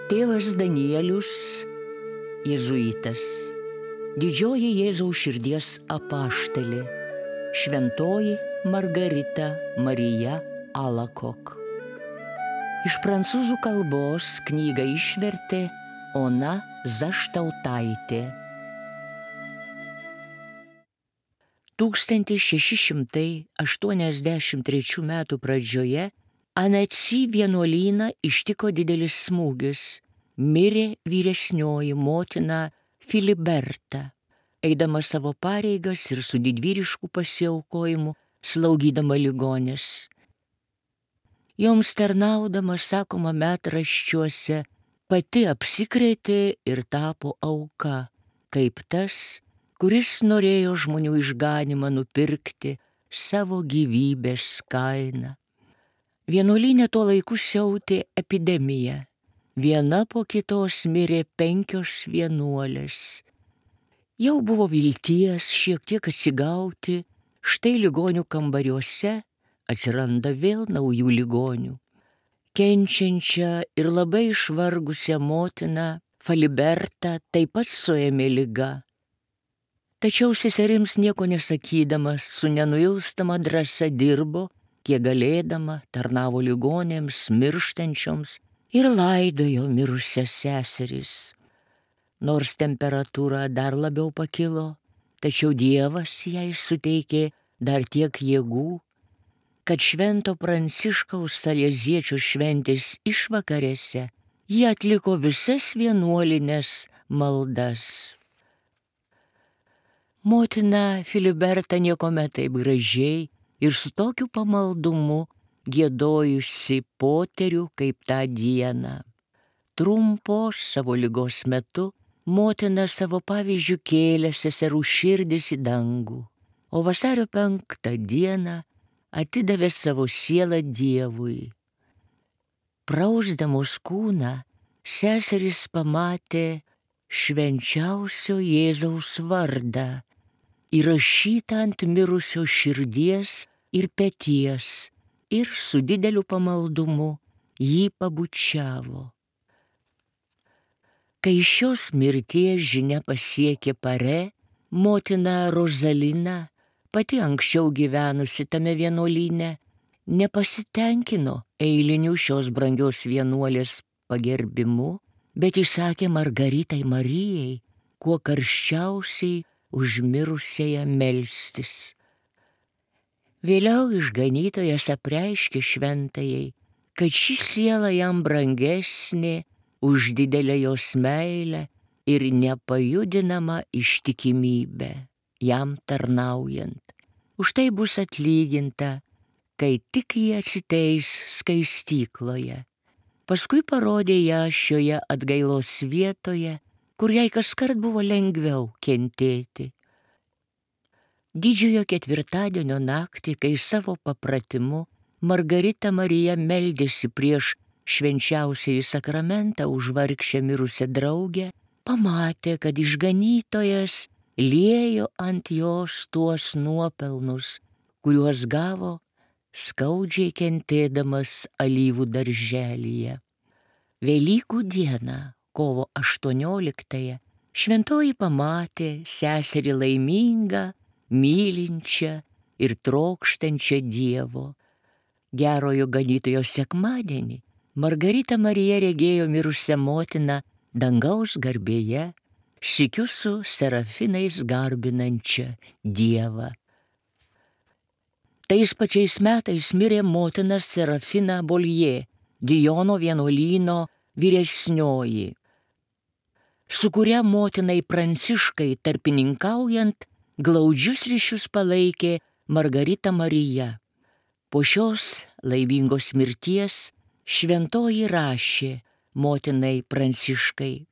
Tėvas Danielius, jėzuitas, didžioji Jėzaus širdies apaštalė, šventoji Margarita Marija Alacoque. Iš prancūzų kalbos knygą išvertė Ona Zaštautaitė. 1683 metų pradžioje Annecy vienuolyną ištiko didelis smūgis. Mirė vyresnioji motina Filiberta, eidama savo pareigas ir su didvyrišku pasiaukojimu slaugydama ligones. Joms tarnaudama, sakoma metraščiuose, pati apsikrėtė ir tapo auka, kaip tas, kuris norėjo žmonių išganymą nupirkti savo gyvybės kainą. Vienuolyne tuo laiku siautė epidemija. Viena po kitos mirė 5 vienuolės. Jau buvo vilties šiek tiek atsigauti, štai ligonių kambariuose atsiranda vėl naujų ligonių. Kenčiančią ir labai išvargusią motiną Filibertą taip pat suėmė liga. Tačiau seserims nieko nesakydamas, su nenuilstama drąsa dirbo, kiek galėdama, tarnavo ligonėms, mirštančioms ir laidojo mirusias seseris. Nors temperatūra dar labiau pakilo, tačiau Dievas jai suteikė dar tiek jėgų, kad Švento Pranciškaus Saleziečio šventės išvakarėse ji atliko visas vienuolines maldas. Motina Filiberta niekuomet taip gražiai ir su tokiu pamaldumu giedojusi poterių kaip tą dieną. Trumpos savo ligos metu motina savo pavyzdžiu kėlė seserų širdis į dangų, o vasario 5 dieną atidavė savo sielą Dievui. Prausdamos kūną, seserys pamatė švenčiausio Jėzaus vardą, įrašytą ant mirusio širdies ir peties, ir su dideliu pamaldumu jį pabučiavo. Kai šios mirties žinia pasiekė Pare, motina Rozalina, pati anksčiau gyvenusi tame vienuolyne, nepasitenkino eiliniu šios brangios vienuolės pagerbimu, bet įsakė Margaritai Marijai kuo karščiausiai už mirusiąją melstis. Vėliau išganytojas apreiškė šventajai, kad ši siela jam brangesnė už didelę jos meilę ir nepajudinamą ištikimybę, jam tarnaujant. Už tai bus atlyginta, kai tik jie atsiteis skaistykloje. Paskui parodė ją šioje atgailos vietoje, kur jai kaskart buvo lengviau kentėti. Didžiojo ketvirtadienio naktį, kai savo papratimu Margarita Marija meldėsi prieš švenčiausiąjį sakramentą už vargšę mirusią draugę, pamatė, kad išganytojas liejo ant jos tuos nuopelnus, kuriuos gavo skaudžiai kentėdamas alyvų darželyje. Velykų dieną, kovo 18-ąją, šventoji pamatė seserį laimingą, mylinčią ir trokštančią Dievo. Gerojo ganytojo sekmadienį Margarita Marija regėjo mirusią motiną dangaus garbėje, sykiu su serafinais garbinančią Dievą. Tais pačiais metais mirė motina Serafina Boljė, Dijono vienuolyno vyresnioji, su kuria motinai Pranciškai tarpininkaujant glaudžius ryšius palaikė Margarita Marija. Po šios laimingos mirties šventoji rašė motinai Pranciškai: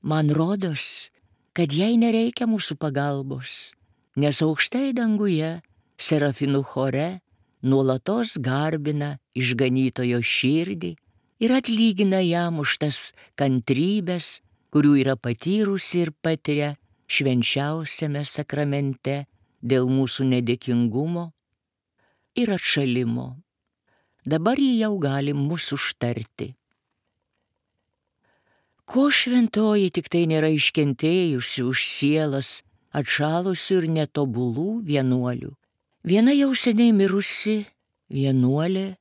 man rodos, kad jai nereikia mūsų pagalbos, nes aukštai danguje serafinų chore nuolatos garbina išganytojo širdį ir atlygina jam už tas kantrybės, kurių yra patyrusi ir patiria švenčiausiame sakramente dėl mūsų nedėkingumo ir atšalimo. Dabar ji jau gali mus užtarti. Ko šventoji tik tai nėra iškentėjusi už sielas atšalusių ir netobulų vienuolių. Viena jau seniai mirusi vienuolė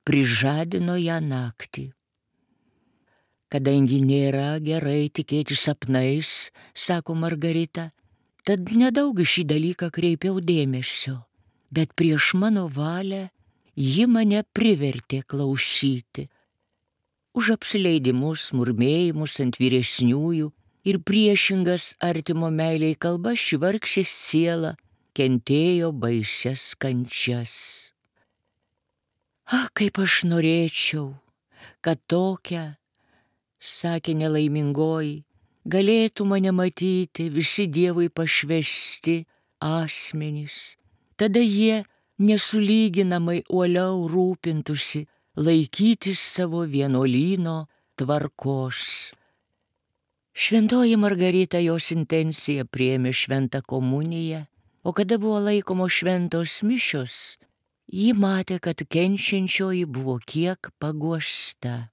prižadino ją naktį. Kadangi nėra gerai tikėti sapnais, sako Margarita, tad nedaug į šį dalyką kreipiau dėmesio, bet prieš mano valią ji mane privertė klausyti. Už apsileidimus, murmėjimus ant vyresniųjų ir priešingas artimo meiliai kalbas ši vargšė siela kentėjo baisias kančias. Kaip aš norėčiau, kad tokia, sakė nelaimingoji, galėtų mane matyti visi Dievui pašvęsti asmenys. Tada jie nesulyginamai uoliau rūpintųsi laikytis savo vienuolyno tvarkos. Šventoji Margarita jos intenciją priėmė šventą komuniją, o kada buvo laikomos šventos mišios, ji matė, kad kenčiančioji buvo kiek paguosta.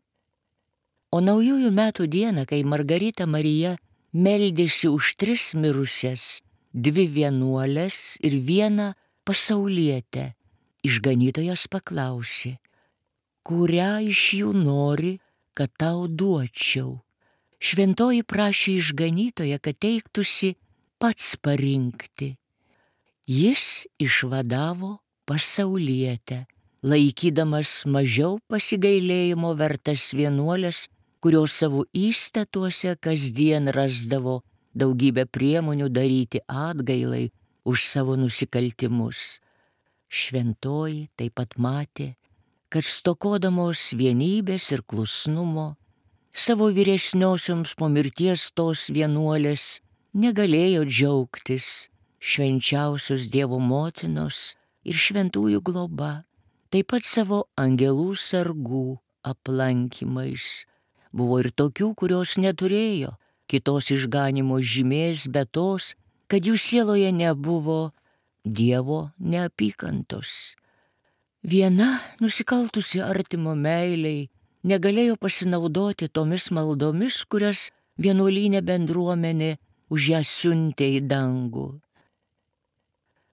O naujųjų metų dieną, kai Margarita Marija meldėsi už 3 mirusias, 2 vienuolės ir 1 pasaulietę, išganytojas paklausė, kurią iš jų nori, kad tau duočiau. Šventoji prašė išganytoją, kad teiktųsi pats parinkti. Jis išvadavo pasaulietę, laikydamas mažiau pasigailėjimo vertas vienuolės, kurios savo įstatuose kasdien rasdavo daugybę priemonių daryti atgailai už savo nusikaltimus. Šventoji taip pat matė, kad stokodamos vienybės ir klusnumo, savo vyresniosioms po mirties tos vienuolės negalėjo džiaugtis švenčiausios Dievo motinos ir šventųjų globa, taip pat savo angelų sargų aplankymais. Buvo ir tokių, kurios neturėjo kitos išganimo žymės, bet tos, kad jų sieloje nebuvo Dievo neapykantos. Viena, nusikaltusi artimo meiliai, negalėjo pasinaudoti tomis maldomis, kurias vienuolyne bendruomenė už ją siuntė į dangų.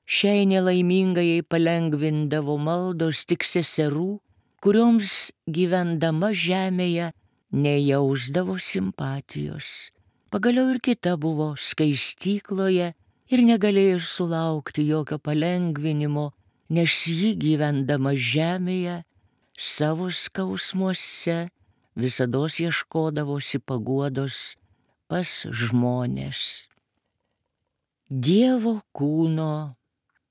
Šiai nelaimingai palengvindavo maldos tik seserų, kurioms gyvendama žemėje nejausdavo simpatijos. Pagaliau ir kita buvo skaistykloje ir negalėjo sulaukti jokio palengvinimo, nes ji gyvendama žemėje savo skausmuose visados ieškodavosi paguodos pas žmones. Dievo kūno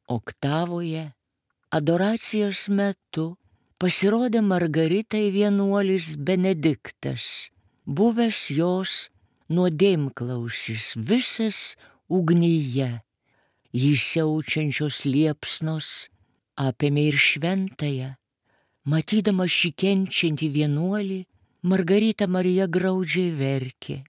oktavoje adoracijos metu pasirodė Margaritai vienuolis Benediktas, buvęs jos nuodėmklausis, visas ugnyje. Jį siaučiančios liepsnos apėmė ir šventąją. Matydama šį kenčiantį vienuolį, Margarita Marija graudžiai verkė.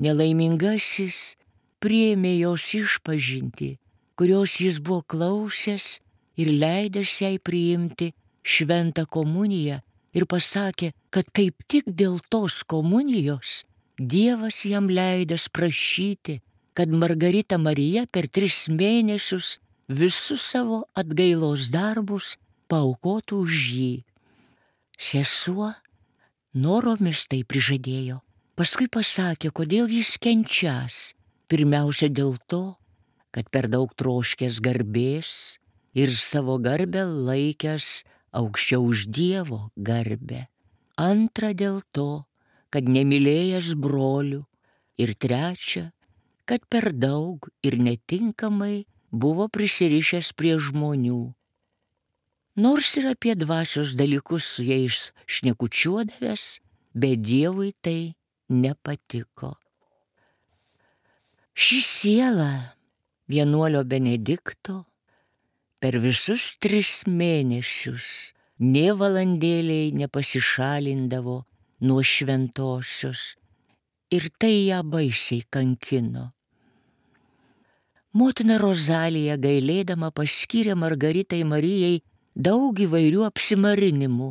Nelaimingasis priėmė jos išpažintį, kurios jis buvo klausęs ir leidęs jai priimti šventą komuniją ir pasakė, kad kaip tik dėl tos komunijos Dievas jam leidęs prašyti, kad Margarita Marija per 3 mėnesius visus savo atgailos darbus paaukotų už jį. Sesuo noromis tai prižadėjo. Paskui pasakė, kodėl jis kenčias. Pirmiausia dėl to, kad per daug troškęs garbės ir savo garbę laikęs aukščiau už Dievo garbę. Antra dėl to, kad nemylėjęs brolių. Ir trečia, kad per daug ir netinkamai buvo prisirišęs prie žmonių. Nors ir apie dvasios dalykus su jais šnekučiuodavęs, bet Dievui tai nepatiko. Ši siela vienuolio Benedikto per visus 3 mėnesius nė valandėliai nepasišalindavo nuo šventosios ir tai ją baisiai kankino. Motina Rozalija gailėdama paskyrė Margaritai Marijai daug įvairių apsimarinimų,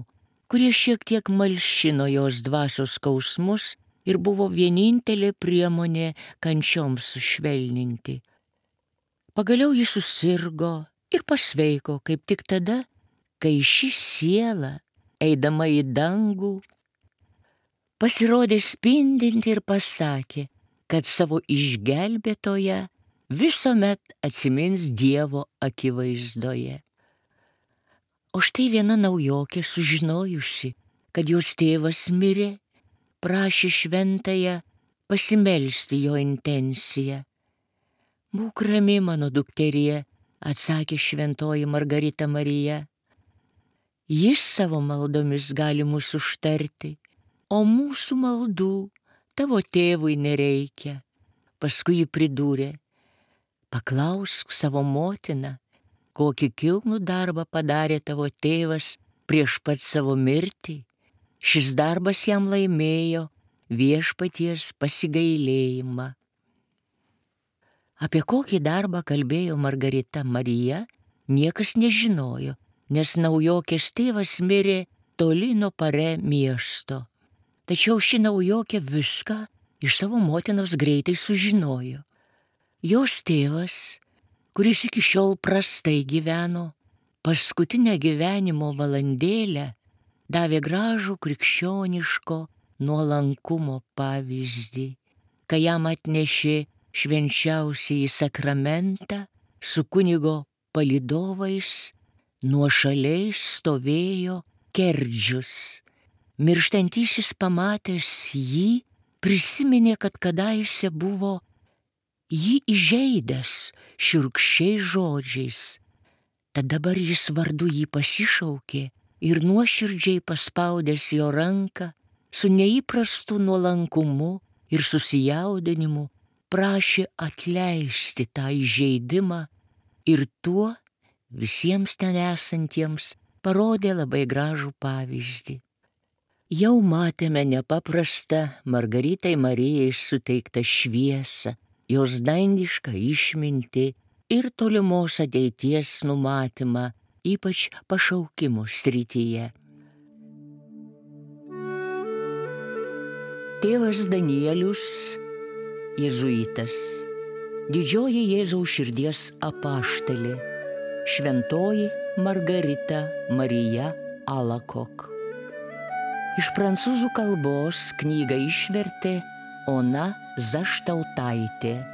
kurie šiek tiek malšino jos dvasios skausmus ir buvo vienintelė priemonė kančioms sušvelninti. Pagaliau jis susirgo ir pasveiko kaip tik tada, kai ši siela, eidama į dangų, pasirodė spindinti ir pasakė, kad savo išgelbėtoją visuomet atsimins Dievo akivaizdoje. O štai viena naujokė, sužinojusi, kad jos tėvas mirė, prašė šventąją pasimelsti jo intenciją. Būk rami, mano dukterie, atsakė šventoji Margarita Marija. Jis savo maldomis gali mus užtarti, o mūsų maldų tavo tėvui nereikia. Paskui ji pridūrė, paklausk savo motiną, kokį kilnų darbą padarė tavo tėvas prieš pat savo mirtį. Šis darbas jam laimėjo viešpaties pasigailėjimą. Apie kokį darbą kalbėjo Margarita Marija, niekas nežinojo, nes naujokės tėvas mirė toli nuo Parė miesto. Tačiau ši naujokė viską iš savo motinos greitai sužinojo. Jos tėvas, kuris iki šiol prastai gyveno, paskutinę gyvenimo valandėlę davė gražų krikščioniško nuolankumo pavyzdį, kai jam atnešė švenčiausiąjį sakramentą su kunigo palydovais, nuošaliai stovėjo Kerdžius. Mirštantysis pamatęs jį, prisiminė, kad kadaise buvo jį įžeidęs šiurkščiais žodžiais. Tad dabar jis vardu jį pasišaukė ir nuoširdžiai paspaudęs jo ranką, su neįprastu nuolankumu ir susijaudinimu prašė atleisti tą įžeidimą ir tuo visiems ten esantiems parodė labai gražų pavyzdį. Jau matėme nepaprastą Margaritai Marijai suteiktą šviesą, jos dangišką išmintį ir tolimos ateities numatymą, ypač pašaukimo srityje. Tėvas Danielius, jėzuitas, didžioji Jėzaus širdies apaštalė, šventoji Margarita Marija Alakok. Iš prancūzų kalbos knygą išvertė Ona Zaštautaitė.